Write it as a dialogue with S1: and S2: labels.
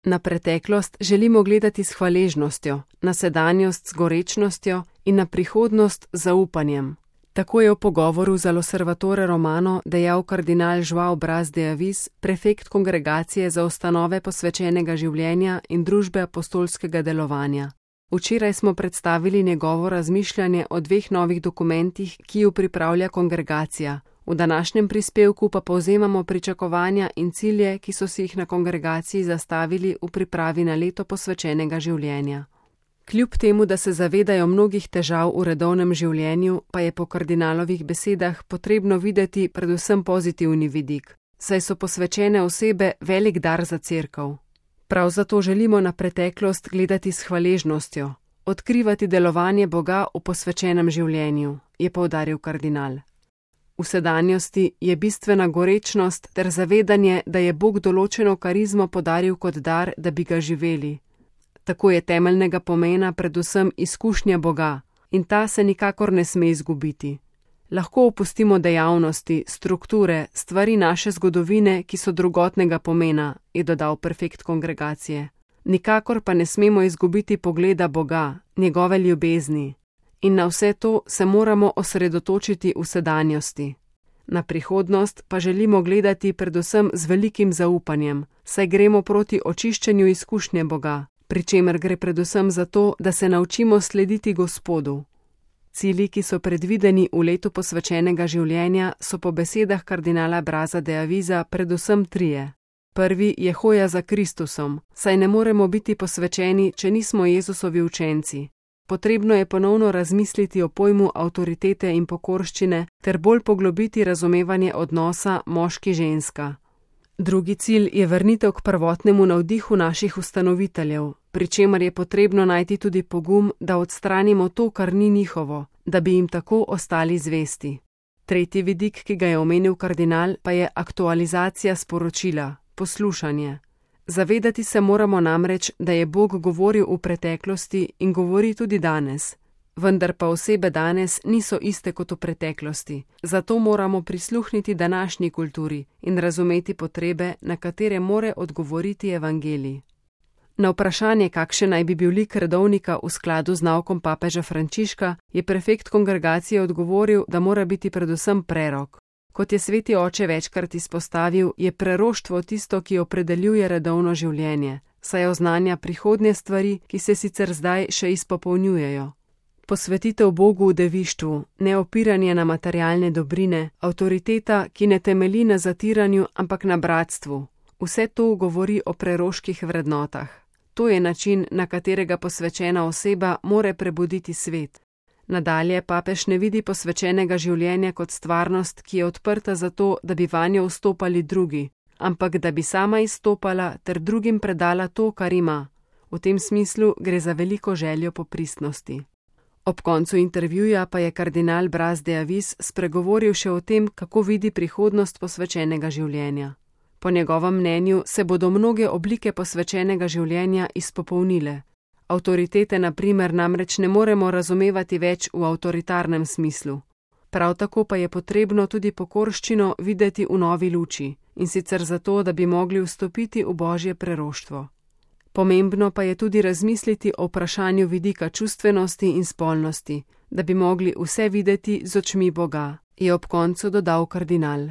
S1: Na preteklost želimo gledati s hvaležnostjo, na sedanjost z gorečnostjo in na prihodnost z zaupanjem. Tako je v pogovoru za L'Osservatore Romano dejal kardinal João Braz de Avis, prefekt kongregacije za ustanove posvečenega življenja in družbe apostolskega delovanja. Včeraj smo predstavili njegovo razmišljanje o 2 novih dokumentih, ki ju pripravlja kongregacija. V današnjem prispevku pa povzemamo pričakovanja in cilje, ki so si jih na kongregaciji zastavili v pripravi na leto posvečenega življenja. Kljub temu, da se zavedajo mnogih težav v redovnem življenju, pa je po kardinalovih besedah potrebno videti predvsem pozitivni vidik, saj so posvečene osebe velik dar za cerkev. Prav zato želimo na preteklost gledati s hvaležnostjo, odkrivati delovanje Boga v posvečenem življenju, je poudaril kardinal. V sedanjosti je bistvena gorečnost ter zavedanje, da je Bog določeno karizmo podaril kot dar, da bi ga živeli. Tako je temeljnega pomena predvsem izkušnja Boga in ta se nikakor ne sme izgubiti. Lahko opustimo dejavnosti, strukture, stvari naše zgodovine, ki so drugotnega pomena, je dodal prefekt kongregacije. Nikakor pa ne smemo izgubiti pogleda Boga, njegove ljubezni. In na vse to se moramo osredotočiti v sedanjosti. Na prihodnost pa želimo gledati predvsem z velikim zaupanjem, saj gremo proti očiščenju izkušnje Boga, pri čemer gre predvsem za to, da se naučimo slediti Gospodu. Cilji, ki so predvideni v letu posvečenega življenja, so po besedah kardinala Braza de Avisa predvsem 3. Prvi je hoja za Kristusom, saj ne moremo biti posvečeni, če nismo Jezusovi učenci. Potrebno je ponovno razmisliti o pojmu avtoritete in pokorščine ter bolj poglobiti razumevanje odnosa moški-ženska. Drugi cilj je vrnitev k prvotnemu navdihu naših ustanoviteljev, pri čemer je potrebno najti tudi pogum, da odstranimo to, kar ni njihovo, da bi jim tako ostali zvesti. Tretji vidik, ki ga je omenil kardinal, pa je aktualizacija sporočila, poslušanje. Zavedati se moramo namreč, da je Bog govoril v preteklosti in govori tudi danes. Vendar pa osebe danes niso iste kot v preteklosti, zato moramo prisluhniti današnji kulturi in razumeti potrebe, na katere more odgovoriti evangelij. Na vprašanje, kakšen naj bi bil lik redovnika v skladu z naukom papeža Frančiška, je prefekt kongregacije odgovoril, da mora biti predvsem prerok. Kot je sveti oče večkrat izpostavil, je preroštvo tisto, ki opredeljuje redovno življenje, saj oznanja prihodnje stvari, ki se sicer zdaj še izpopolnjujejo. Posvetitev Bogu v devištvu, neopiranje na materialne dobrine, avtoriteta, ki ne temelji na zatiranju, ampak na bratstvu. Vse to govori o preroških vrednotah. To je način, na katerega posvečena oseba more prebuditi svet. Nadalje papež ne vidi posvečenega življenja kot stvarnost, ki je odprta za to, da bi vanjo vstopali drugi, ampak da bi sama izstopala ter drugim predala to, kar ima. V tem smislu gre za veliko željo po pristnosti. Ob koncu intervjuja pa je kardinal Braz de Avis spregovoril še o tem, kako vidi prihodnost posvečenega življenja. Po njegovem mnenju se bodo mnoge oblike posvečenega življenja izpopolnile. Avtoritete na primer namreč ne moremo razumevati več v avtoritarnem smislu. Prav tako pa je potrebno tudi pokorščino videti v novi luči, in sicer zato, da bi mogli vstopiti v Božje preroštvo. Pomembno pa je tudi razmisliti o vprašanju vidika čustvenosti in spolnosti, da bi mogli vse videti z očmi Boga, je ob koncu dodal kardinal.